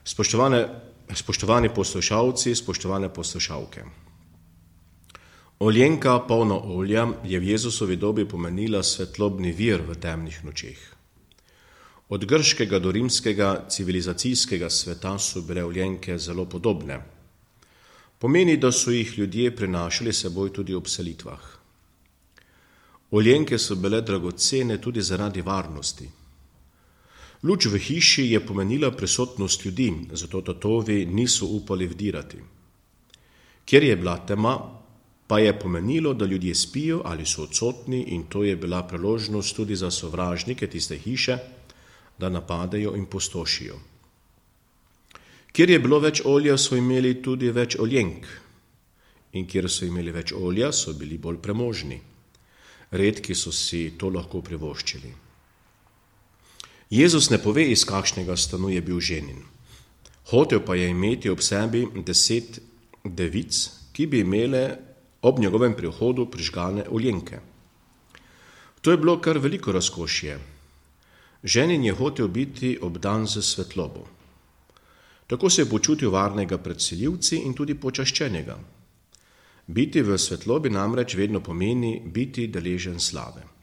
Spoštovani poslušalci, spoštovane poslušalke. Oljenka, polna olja, je v Jezusovi dobi pomenila svetlobni vir v temnih nočeh. Od grškega do rimskega civilizacijskega sveta so bile oljenke zelo podobne. Pomeni, da so jih ljudje prinašali seboj tudi ob selitvah. Oljenke so bile dragocene tudi zaradi varnosti. Luč v hiši je pomenila prisotnost ljudi, zato tatovi niso upali vdirati. Ker je bila tema, pa je pomenilo, da ljudje spijo ali so odsotni, in to je bila priložnost tudi za sovražnike tiste hiše, da napadejo in pustošijo. Ker je bilo več olja, so imeli tudi več oljenk, in ker so imeli več olja, so bili bolj premožni. Redki so si to lahko privoščili. Jezus ne pove, iz kakšnega stanu je bil ženin. Hotel pa je imeti ob sebi 10 devic, ki bi imele ob njegovem prihodu prižgane oljenke. To je bilo kar veliko razkošje. Ženin je hotel biti obdan z svetlobo. Tako se je počutil varnega pred selivci in tudi počaščenega. Biti v svetlobi namreč vedno pomeni biti deležen slave.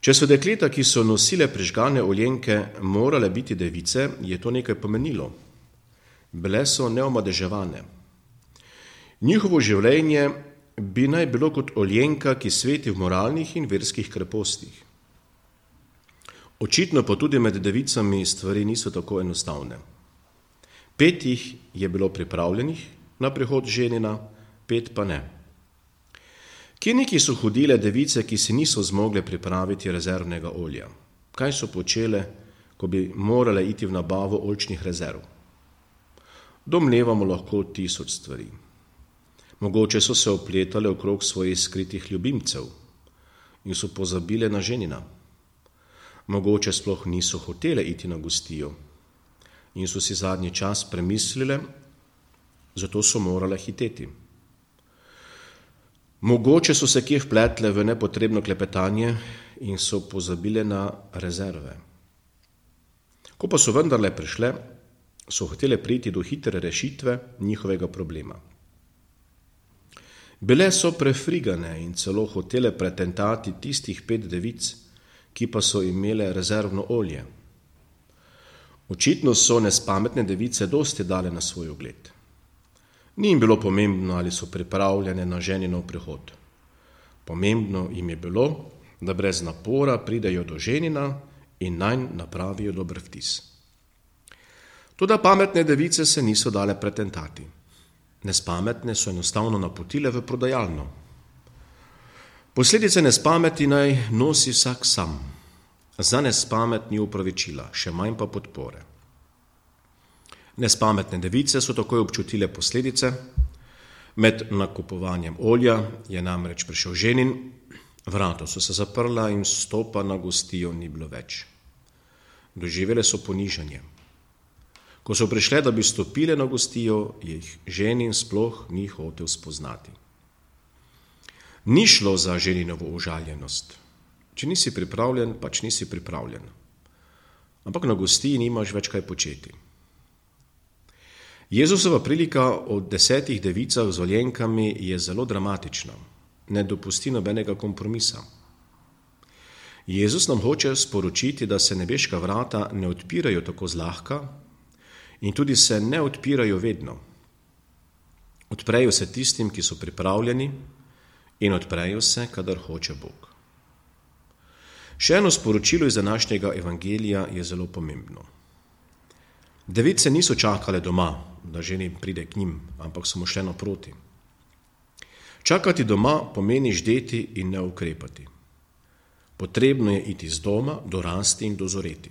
Če so dekleta, ki so nosile prižgane oljenke, morale biti device, je to nekaj pomenilo. Bile so neomadeževane. Njihovo življenje bi naj bilo kot oljenka, ki sveti v moralnih in verskih krepostih. Očitno pa tudi med devicami stvari niso tako enostavne. 5 jih je bilo pripravljenih na prihod ženina, 5 pa ne. Kje neki so hodile device, ki si niso zmogle pripraviti rezervnega olja? Kaj so počele, ko bi morale iti v nabavo oljčnih rezerv? Domnevamo lahko 1000 stvari. Mogoče so se opletale okrog svojih skritih ljubimcev in so pozabile na ženina. Mogoče sploh niso hotele iti na gostijo in so si zadnji čas premislile, zato so morale hiteti. Mogoče so se kje vpletle v nepotrebno klepetanje in so pozabile na rezerve. Ko pa so vendarle prišle, so hotele priti do hitre rešitve njihovega problema. Bile so prefrigane in celo hotele pretentati tistih 5 devic, ki pa so imele rezervno olje. Očitno so nespametne device dosti dale na svoj ugled. Ni jim bilo pomembno, ali so pripravljene na ženinov prihod. Pomembno jim je bilo, da brez napora pridejo do ženina in nanj napravijo dober vtis. Toda pametne device se niso dale pretentati. Nespametne so enostavno napotile v prodajalno. Posledice nespameti naj nosi vsak sam. Za nespamet ni opravičila, še manj pa podpore. Nespametne device so takoj občutile posledice. Med nakupovanjem olja je namreč prišel ženin, vrata so se zaprla in vstopa na gostijo ni bilo več. Doživele so ponižanje. Ko so prišle, da bi stopile na gostijo, jih ženin sploh ni hotel spoznati. Ni šlo za ženinovo užaljenost. Če nisi pripravljen, pač nisi pripravljen. Ampak na gostiji nimaš več kaj početi. Jezusova prilika o 10 devicah z oljenkami je zelo dramatična. Ne dopusti nobenega kompromisa. Jezus nam hoče sporočiti, da se nebeška vrata ne odpirajo tako zlahka in tudi se ne odpirajo vedno. Odprejo se tistim, ki so pripravljeni, in odprejo se, kadar hoče Bog. Še eno sporočilo iz današnjega evangelija je zelo pomembno. Device niso čakale doma, da ženin pride k njim, ampak so mu šle naproti. Čakati doma pomeni ždeti in ne ukrepati. Potrebno je iti z doma, dorasti in dozoreti.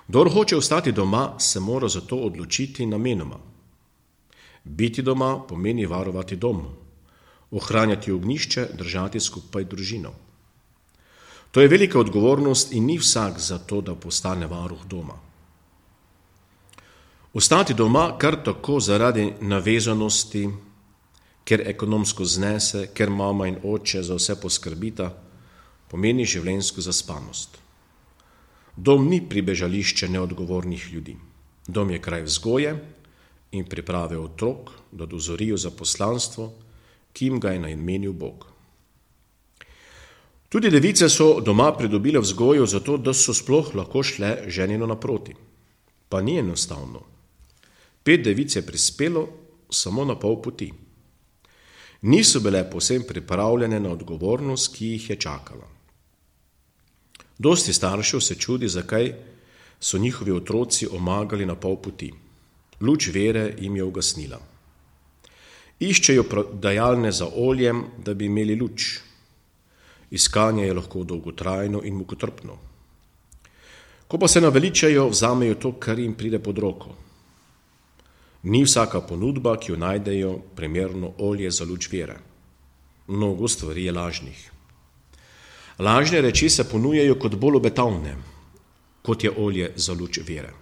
Kdor hoče ostati doma, se mora zato odločiti namenoma. Biti doma pomeni varovati dom, ohranjati ognjišče, držati skupaj družino. To je velika odgovornost in ni vsak za to, da postane varuh doma. Ostati doma kar tako zaradi navezanosti, ker ekonomsko znese, ker mama in oče za vse poskrbita, pomeni življenjsko zaspanost. Dom ni pribežališče neodgovornih ljudi. Dom je kraj vzgoje in priprave otrok, da dozorijo za poslanstvo, ki jim ga je namenil Bog. Tudi device so doma pridobile vzgojo zato, da so sploh lahko šle ženinu naproti. Pa ni enostavno. 5 devic je prispelo samo na pol poti. Niso bile povsem pripravljene na odgovornost, ki jih je čakala. Dosti staršev se čudi, zakaj so njihovi otroci omagali na pol poti. Luč vere jim je ugasnila. Iščejo prodajalne za oljem, da bi imeli luč. Iskanje je lahko dolgotrajno in mukotrpno. Ko pa se naveličajo, vzamejo to, kar jim pride pod roko. Ni vsaka ponudba, ki jo najdejo, primerno olje za luč vere. Mnogo stvari je lažnih. Lažne reči se ponujajo kot bolj obetavne, kot je olje za luč vere.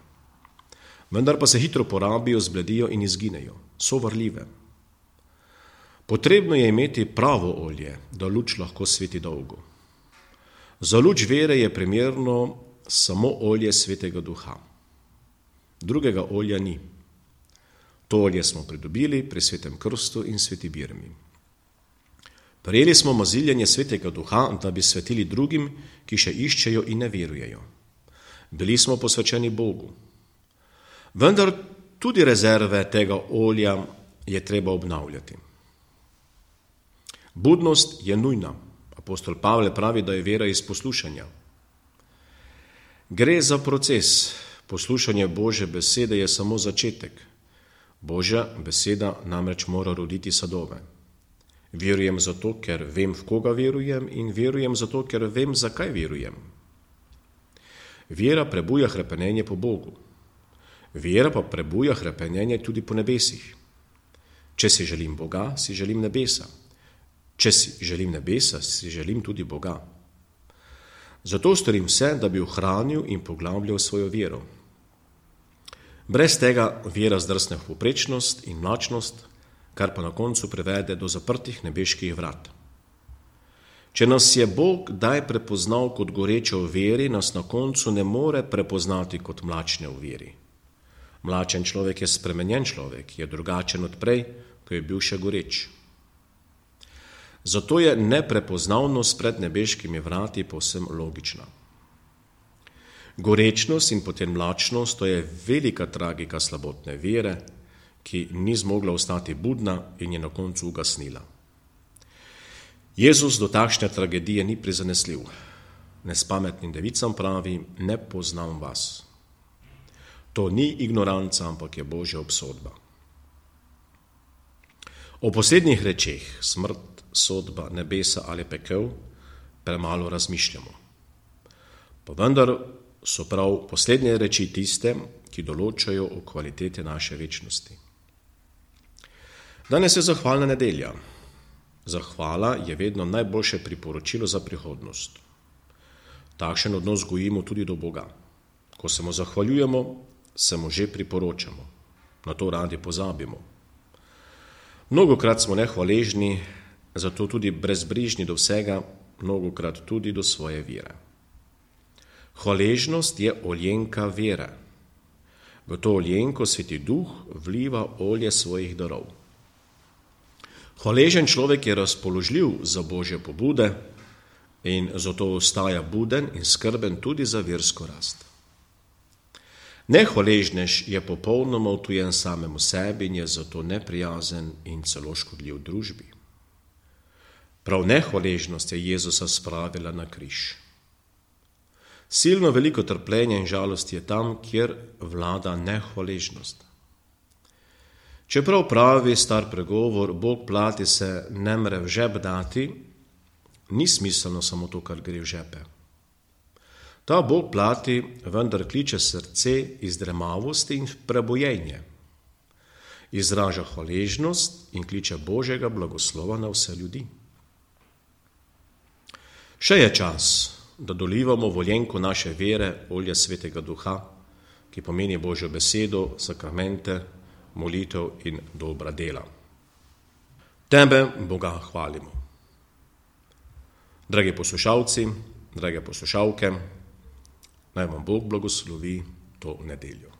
Vendar pa se hitro porabijo, zbledijo in izginejo. So varljive. Potrebno je imeti pravo olje, da luč lahko sveti dolgo. Za luč vere je primerno samo olje Svetega Duha. Drugega olja ni. To olje smo pridobili pri Svetem krstu in sveti birmi. Prejeli smo maziljenje Svetega Duha, da bi svetili drugim, ki še iščejo in ne verujejo. Bili smo posvečeni Bogu. Vendar tudi rezerve tega olja je treba obnavljati. Budnost je nujna. Apostol Pavel pravi, da je vera iz poslušanja. Gre za proces. Poslušanje Božje besede je samo začetek. Božja beseda namreč mora roditi sadove. Verujem zato, ker vem, v koga verujem, in verujem zato, ker vem, zakaj verujem. Vera prebuja hrepenenje po Bogu. Vera pa prebuja hrepenenje tudi po nebesih. Če si želim Boga, si želim nebesa. Če si želim nebesa, si želim tudi Boga. Zato storim vse, da bi ohranil in poglabljal svojo vero. Brez tega vera zdrsne v povprečnost in mlačnost, kar pa na koncu privede do zaprtih nebeških vrat. Če nas je Bog kdaj prepoznal kot goreče v veri, nas na koncu ne more prepoznati kot mlačne v veri. Mlačen človek je spremenjen človek, je drugačen od prej, ko je bil še goreč. Zato je neprepoznavnost pred nebeškimi vrati povsem logična. Gorečnost in potem mlačnost, to je velika tragika slabotne vere, ki ni zmogla ostati budna in je na koncu ugasnila. Jezus do takšne tragedije ni prizanesljiv. Nespametnim devicam pravi, ne poznam vas. To ni ignoranca, ampak je Božja obsodba. O poslednjih rečeh, smrt, sodba, nebesa ali pekel, premalo razmišljamo. Pa vendar so prav poslednje reči tiste, ki določajo o kvalitete naše večnosti. Danes je zahvalna nedelja. Zahvala je vedno najboljše priporočilo za prihodnost. Takšen odnos gojimo tudi do Boga. Ko se mu zahvaljujemo, se mu že priporočamo. Na to radi pozabimo. Mnogokrat smo nehvaležni, zato tudi brezbrižni do vsega, mnogokrat tudi do svoje vere. Hvaležnost je oljenka vere. V to oljenko Sveti Duh vliva olje svojih darov. Hvaležen človek je razpoložljiv za Božje pobude in zato ostaja buden in skrben tudi za versko rast. Nehvaležnež je popolnoma odtujen samemu sebi in je zato neprijazen in celo škodljiv družbi. Prav nehvaležnost je Jezusa spravila na križ. Silno veliko trpljenja in žalosti je tam, kjer vlada nehvaležnost. Čeprav pravi star pregovor, Bog plati se ne more v žep dati, ni smiselno samo to, kar gre v žepe. Ta Bog plati vendar kliče srce iz dremavosti in prebojenje. Izraža hvaležnost in kliče Božjega blagoslova na vse ljudi. Še je čas, da dolivamo v oljenko naše vere olje Svetega Duha, ki pomeni Božjo besedo, sakramente, molitev in dobra dela. Tebe, Boga, hvalimo. Dragi poslušalci, drage poslušalke, Naj vam Bog blagoslovi to nedeljo.